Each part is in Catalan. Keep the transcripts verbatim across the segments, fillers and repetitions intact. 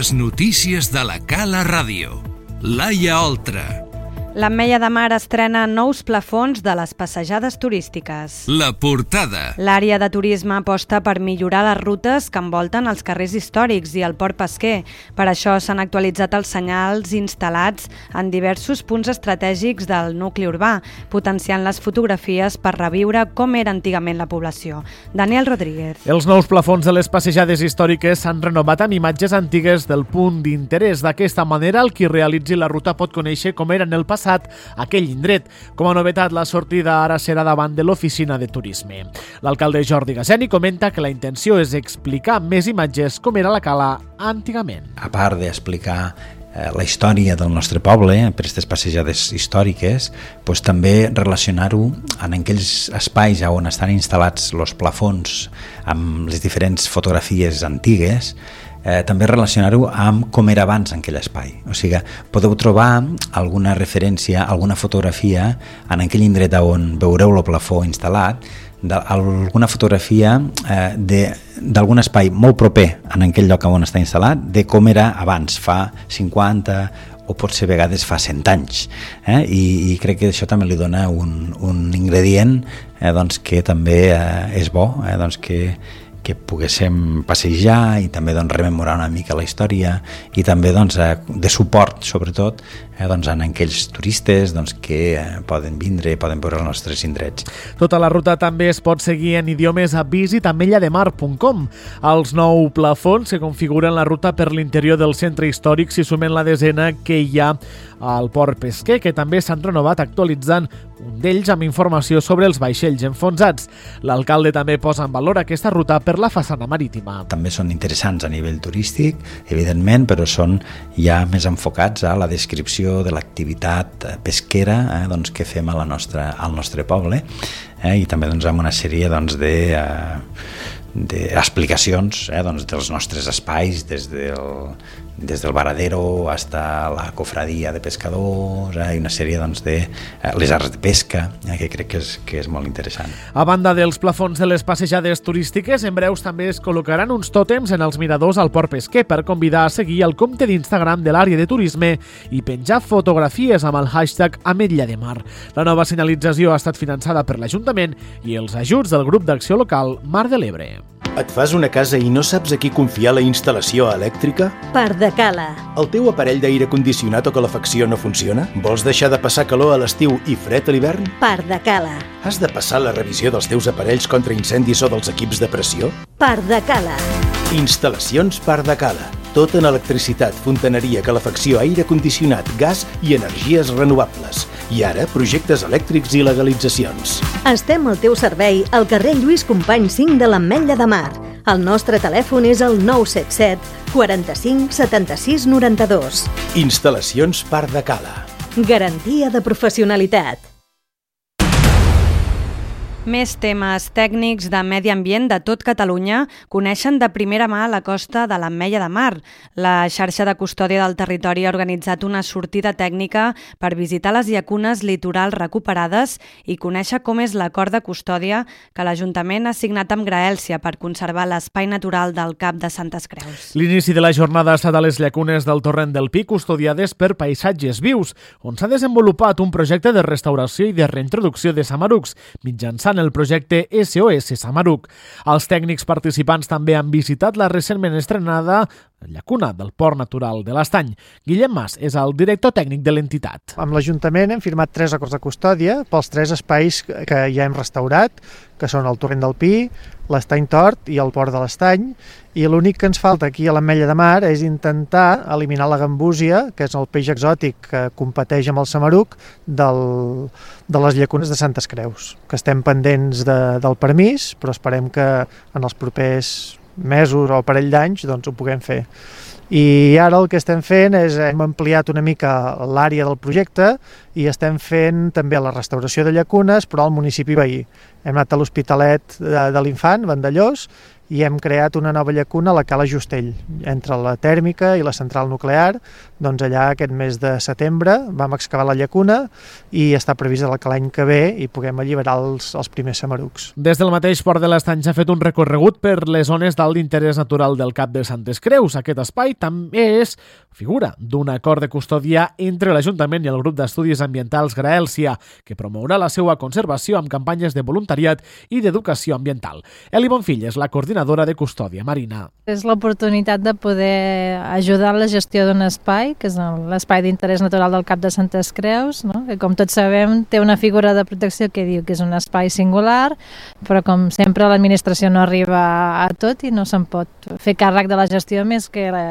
Les notícies de la Cala Ràdio. Laia Oltra. L'Ametlla de Mar estrena nous plafons de les passejades turístiques. La portada. L'àrea de turisme aposta per millorar les rutes que envolten els carrers històrics i el port pesquer. Per això s'han actualitzat els senyals instal·lats en diversos punts estratègics del nucli urbà, potenciant les fotografies per reviure com era antigament la població. Daniel Rodríguez. Els nous plafons de les passejades històriques s'han renovat amb imatges antigues del punt d'interès. D'aquesta manera, el qui realitzi la ruta pot conèixer com era en el passat aquell indret. Com a novetat, la sortida ara serà davant de l'oficina de turisme. L'alcalde Jordi Gaseni comenta que la intenció és explicar més imatges com era la cala antigament. A part d'explicar eh, la història del nostre poble per aquestes passejades històriques, doncs també relacionar-ho en aquells espais on estan instal·lats els plafons amb les diferents fotografies antigues. Eh, també relacionar-ho amb com era abans en aquell espai. O sigui, podeu trobar alguna referència, alguna fotografia en aquell indret on veureu el plafó instal·lat, alguna fotografia eh, d'algun espai molt proper en aquell lloc on està instal·lat, de com era abans, fa cinquanta o potser a vegades fa cent anys. Eh? I, I crec que això també li dona un, un ingredient eh, doncs, que també eh, és bo, eh, doncs que que poguéssim passejar i també doncs, rememorar una mica la història i també doncs, de suport, sobretot, eh, doncs, en aquells turistes doncs, que eh, poden vindre, poden veure els nostres indrets. Tota la ruta també es pot seguir en idiomes a visit ametlla de mar punt com. Els nou plafons que configuren la ruta per l'interior del centre històric s'hi sumen la desena que hi ha al port pesquer, que també s'han renovat actualitzant un d'ells amb informació sobre els vaixells enfonsats. L'alcalde també posa en valor aquesta ruta per la façana marítima. També són interessants a nivell turístic, evidentment, però són ja més enfocats a la descripció de l'activitat pesquera eh, doncs, que fem a la nostra, al nostre poble eh, i també doncs, amb una sèrie doncs, de... Eh, d'explicacions eh, doncs, dels nostres espais, des del, des del varadero fins a la cofradia de pescadors eh, i una sèrie doncs, de eh, les arts de pesca, eh, que crec que és, que és molt interessant. A banda dels plafons de les passejades turístiques, en breus també es col·locaran uns tòtems en els miradors al port pesquer per convidar a seguir el compte d'Instagram de l'àrea de turisme i penjar fotografies amb el hashtag Ametlla de Mar. La nova senyalització ha estat finançada per l'Ajuntament i els ajuts del grup d'acció local Mar de l'Ebre. Et fas una casa i no saps a qui confiar la instal·lació elèctrica? Pardacala. El teu aparell d'aire condicionat o calefacció no funciona? Vols deixar de passar calor a l'estiu i fred a l'hivern? Pardacala. Has de passar la revisió dels teus aparells contra incendis o dels equips de pressió? Pardacala. Instal·lacions Pardacala. Tot en electricitat, fontaneria, calefacció, aire condicionat, gas i energies renovables. I ara, projectes elèctrics i legalitzacions. Estem al teu servei al carrer Lluís Companys cinc de l'Ametlla de Mar. El nostre telèfon és el nou set set quaranta-cinc setanta-sis noranta-dos. Instal·lacions Pardacala. Garantia de professionalitat. Més temes tècnics de medi ambient de tot Catalunya coneixen de primera mà la costa de l'Ametlla de Mar. La xarxa de custòdia del territori ha organitzat una sortida tècnica per visitar les llacunes litorals recuperades i conèixer com és l'acord de custòdia que l'Ajuntament ha signat amb Graèlcia per conservar l'espai natural del Cap de Santes Creus. L'inici de la jornada ha estat a les llacunes del Torrent del Pi, custodiades per paisatges vius, on s'ha desenvolupat un projecte de restauració i de reintroducció de samarucs, mitjançant el projecte S O S Samaruc. Els tècnics participants també han visitat la recentment estrenada llacuna del Port Natural de l'Estany. Guillem Mas és el director tècnic de l'entitat. Amb l'Ajuntament hem firmat tres acords de custòdia pels tres espais que ja hem restaurat, que són el Torrent del Pi, l'Estany Tort i el Port de l'Estany, i l'únic que ens falta aquí a l'Ametlla de Mar és intentar eliminar la gambúsia, que és el peix exòtic que competeix amb el samaruc del, de les llacunes de Santes Creus, que estem pendents de, del permís, però esperem que en els propers mesos o parell d'anys doncs ho puguem fer. I ara el que estem fent és hem ampliat una mica l'àrea del projecte i estem fent també la restauració de llacunes, però al municipi veí. Hem anat a l'Hospitalet de, de l'Infant, Vandellós, i hem creat una nova llacuna a la Cala Justell, entre la tèrmica i la central nuclear. Doncs allà aquest mes de setembre vam excavar la llacuna i està previst que l'any que ve hi puguem alliberar els, els primers samarucs. Des del mateix Port de l'Estany s'ha fet un recorregut per les zones d'alt interès natural del Cap de Santes Creus. Aquest espai també és figura d'un acord de custòdia entre l'Ajuntament i el grup d'estudis ambientals Graèlcia, que promourà la seva conservació amb campanyes de voluntariat i d'educació ambiental. Eli Bonfill és la coordinadora de custòdia marina. És l'oportunitat de poder ajudar en la gestió d'un espai, que és l'espai d'interès natural del Cap de Santes Creus, no? Que com tots sabem té una figura de protecció que diu que és un espai singular, però com sempre l'administració no arriba a tot i no se'n pot fer càrrec de la gestió més que la...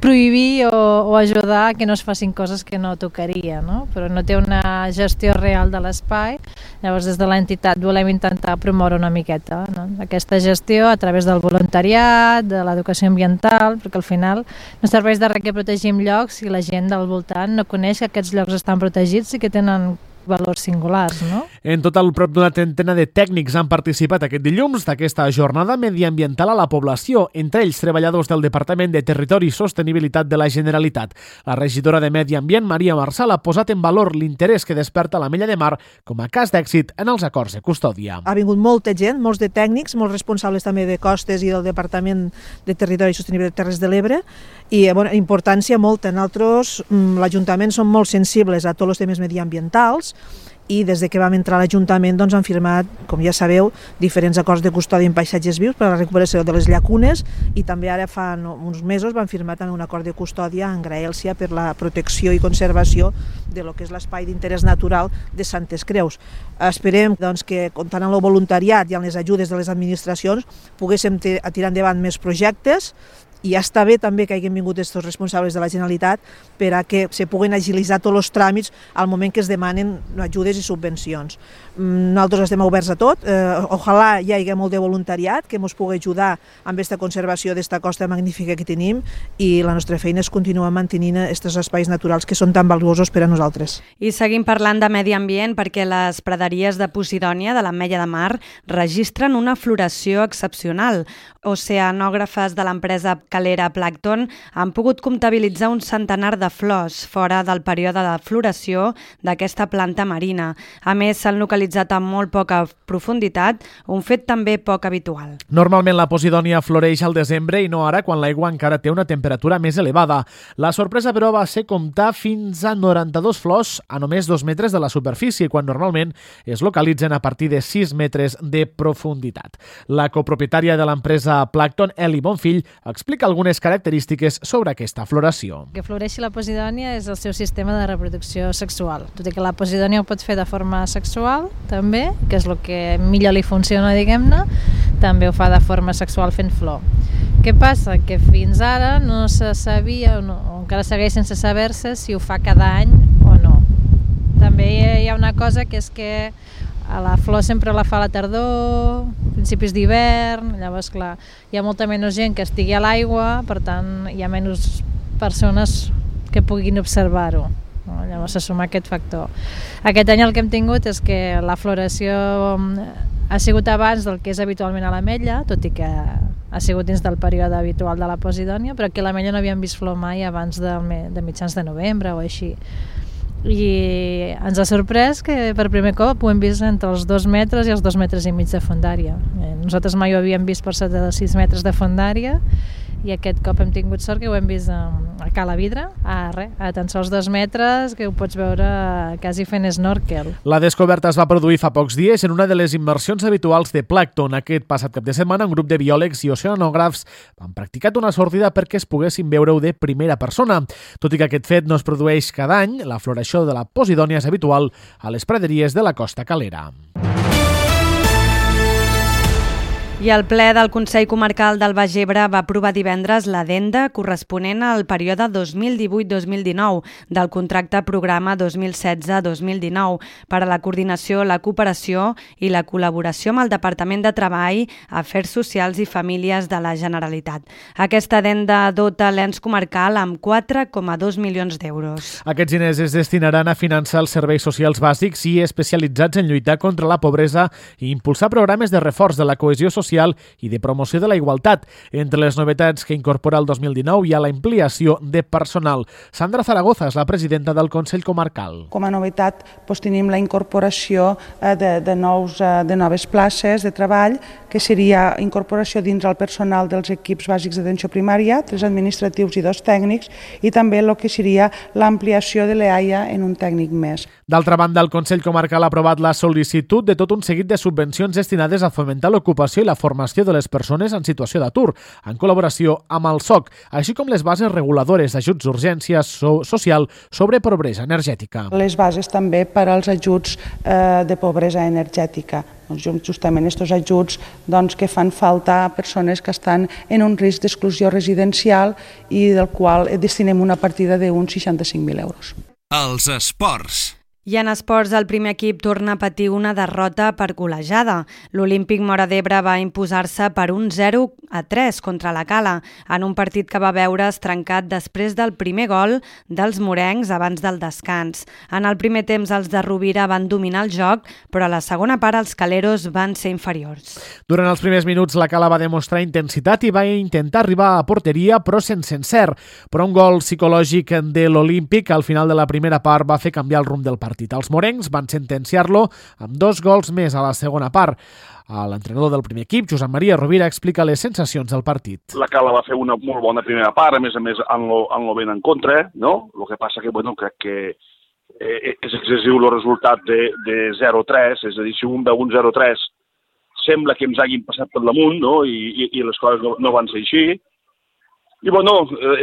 prohibir o, o ajudar a que no es facin coses que no tocaria, no? Però no té una gestió real de l'espai. Llavors des de l'entitat volem intentar promoure una miqueta, no? Aquesta gestió a través del voluntariat, de l'educació ambiental, perquè al final no serveix de res que protegim llocs si la gent del voltant no coneix que aquests llocs estan protegits i que tenen valors singulars, no? En total, prop d'una trentena de tècnics han participat aquest dilluns d'aquesta jornada mediambiental a la població, entre ells treballadors del Departament de Territori i Sostenibilitat de la Generalitat. La regidora de Medi Ambient, Maria Marçal, ha posat en valor l'interès que desperta l'Ametlla de Mar com a cas d'èxit en els acords de custòdia. Ha vingut molta gent, molts de tècnics, molts responsables també de costes i del Departament de Territori i Sostenibilitat de Terres de l'Ebre, i bueno, importància molta. Nosaltres, l'Ajuntament, som molt sensibles a tots els temes mediambientals, i des de que vam entrar a l'Ajuntament doncs, han firmat, com ja sabeu, diferents acords de custòdia en paisatges vius per a la recuperació de les llacunes, i també ara fa uns mesos van firmar també un acord de custòdia en Graèlcia per la protecció i conservació de lo que és l'espai d'interès natural de Santes Creus. Esperem doncs, que, comptant amb el voluntariat i amb les ajudes de les administracions, poguéssim tirar endavant més projectes. I ja està bé també que hagin vingut aquests responsables de la Generalitat per a que se puguen agilitzar tots els tràmits al moment que es demanen ajudes i subvencions. Nosaltres estem oberts a tot, eh, ojalà hi hagi molt de voluntariat que ens pugui ajudar amb aquesta conservació d'esta costa magnífica que tenim, i la nostra feina és continuar mantenint aquests espais naturals que són tan valuosos per a nosaltres. I seguim parlant de medi ambient perquè les praderies de Posidònia de l'Ametlla de Mar registren una floració excepcional. Oceanògrafes de l'empresa calera Plankton han pogut comptabilitzar un centenar de flors fora del període de floració d'aquesta planta marina. A més, s'han localitzat amb molt poca profunditat, un fet també poc habitual. Normalment la Posidònia floreix al desembre i no ara, quan l'aigua encara té una temperatura més elevada. La sorpresa, però, va ser comptar fins a noranta-dos flors a només dos metres de la superfície, quan normalment es localitzen a partir de sis metres de profunditat. La copropietària de l'empresa Plankton, Eli Bonfill, explica algunes característiques sobre aquesta floració. Que floreixi la Posidònia és el seu sistema de reproducció sexual. Tot i que la Posidònia ho pot fer de forma sexual, també, que és el que millor li funciona, diguem-ne, també ho fa de forma sexual fent flor. Què passa? Que fins ara no se sabia, o, no, o encara segueix sense saber-se, si ho fa cada any o no. També hi ha una cosa que és que a la flor sempre la fa a la tardor, principis d'hivern, llavors clar, hi ha molta menys gent que estigui a l'aigua, per tant hi ha menys persones que puguin observar-ho. No? Llavors se suma aquest factor. Aquest any el que hem tingut és que la floració ha sigut abans del que és habitualment a l'Ametlla, tot i que ha sigut dins del període habitual de la Posidònia, però aquí a l'Ametlla no havíem vist flor mai abans de, de mitjans de novembre o així. I ens ha sorprès que per primer cop ho hem vist entre els dos metres i els dos metres i mig de fondària. Nosaltres mai ho havíem vist per sota de sis metres de fondària, i aquest cop hem tingut sort que ho hem vist a, a Cala Vidra, a, res, a tan sols dos metres, que ho pots veure quasi fent snorkel. La descoberta es va produir fa pocs dies en una de les immersions habituals de Plankton. Aquest passat cap de setmana, un grup de biòlegs i oceanògrafs han practicat una sortida perquè es poguessin veure-ho de primera persona. Tot i que aquest fet no es produeix cada any, la floració de la Posidònia és habitual a les praderies de la costa calera. I el ple del Consell Comarcal del Baix Ebre va aprovar divendres l'addenda corresponent al període dos mil divuit dos mil dinou del contracte programa dos mil setze dos mil dinou per a la coordinació, la cooperació i la col·laboració amb el Departament de Treball, Afers Socials i Famílies de la Generalitat. Aquesta addenda dota l'ens comarcal amb quatre coma dos milions d'euros. Aquests diners es destinaran a finançar els serveis socials bàsics i especialitzats en lluitar contra la pobresa i impulsar programes de reforç de la cohesió social social i de promoció de la igualtat. Entre les novetats que incorpora el dos mil dinou hi ha la ampliació de personal. Sandra Zaragoza és la presidenta del Consell Comarcal. Com a novetat doncs, tenim la incorporació de, de, nous, de noves places de treball, que seria incorporació dins el personal dels equips bàsics d'atenció primària, tres administratius i dos tècnics, i també el que seria l'ampliació de l'E A I A en un tècnic més. D'altra banda, el Consell Comarcal ha aprovat la sol·licitud de tot un seguit de subvencions destinades a fomentar l'ocupació i la formació de les persones en situació d'atur, en col·laboració amb el S O C, així com les bases reguladores d'ajuts d'urgència so social sobre pobresa energètica. Les bases també per als ajuts eh, de pobresa energètica. Doncs justament aquests ajuts doncs, que fan falta a persones que estan en un risc d'exclusió residencial i del qual destinem una partida d'uns seixanta-cinc mil euros. Els esports. I en esports, el primer equip torna a patir una derrota per golejada. L'Olímpic Móra d'Ebre va imposar-se per un zero a tres contra la Cala, en un partit que va veure's trencat després del primer gol dels morencs abans del descans. En el primer temps, els de Rovira van dominar el joc, però a la segona part els caleros van ser inferiors. Durant els primers minuts, la Cala va demostrar intensitat i va intentar arribar a porteria, però sense encert. Però un gol psicològic de l'Olímpic al final de la primera part va fer canviar el rumb del partit. Els morencs van sentenciar-lo amb dos gols més a la segona part. L'entrenador del primer equip, Josep Maria Rovira, explica les sensacions del partit. La Cala va fer una molt bona primera part, a més a més en lo, en lo ben en contra, no? El que passa que, bueno, crec que eh, és excessiu el resultat de, de zero a tres, és a dir, si un veu un zero a tres, sembla que ens hagin passat per damunt, no? I, i, i les coses no, no van ser així. I bueno,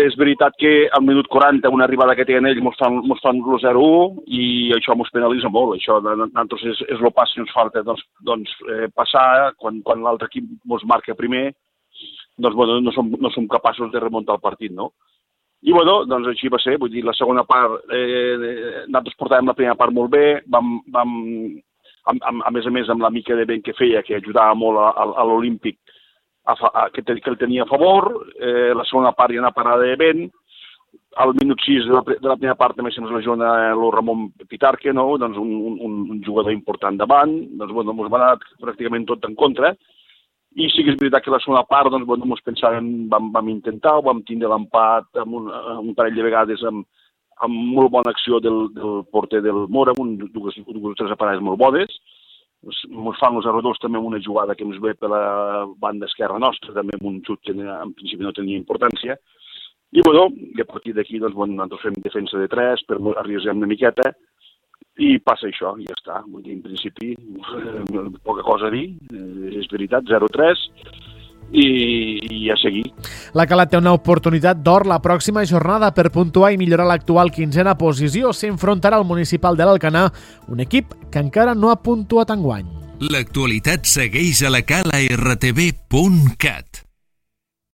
és veritat que al minut quaranta una arribada que tenen ells mos fan, mos fan el zero a u i això mos penalitza molt. Això nosaltres és, és el pas que ens falta doncs, doncs, eh, passar quan, quan l'altre equip mos marca primer, doncs bueno, no som, no som capaços de remuntar el partit, no? I bueno, doncs així va ser, vull dir, la segona part, eh, nosaltres portàvem la primera part molt bé, vam, vam a, a, a més a més amb la mica de vent que feia, que ajudava molt a, a, a l'Olímpic, A, a, que, te, que el tenia a favor, eh, la segona part hi ha una parada de vent, al minut sis de la, de la primera part també se'ns lesiona el Ramon Pitarque, no? Doncs un, un, un jugador important davant, doncs bueno, ens va anar pràcticament tot en contra, i sí que és veritat que la segona part, doncs bueno, ens pensàvem, vam, vam intentar, vam tindre l'empat amb un, un parell de vegades amb, amb molt bona acció del, del porter del Mora, amb dues, dues tres parades molt bones. Ens fan els zero a dos també amb una jugada que ens ve per la banda esquerra nostra, també amb un xut que en principi no tenia importància. I bueno, i a partir d'aquí doncs, bueno, nosaltres fem defensa de tres, per arriesgar una miqueta, i passa això, i ja està. Vull dir, en principi, poca cosa a dir, és veritat, zero a tres, i, i a seguir. La Cala té una oportunitat d'or la pròxima jornada per puntuar i millorar l'actual quinzena posició. S'enfrontarà al Municipal de l'Alcanar, un equip que encara no ha puntuat enguany. L'actualitat segueix a la cala r t v punt cat.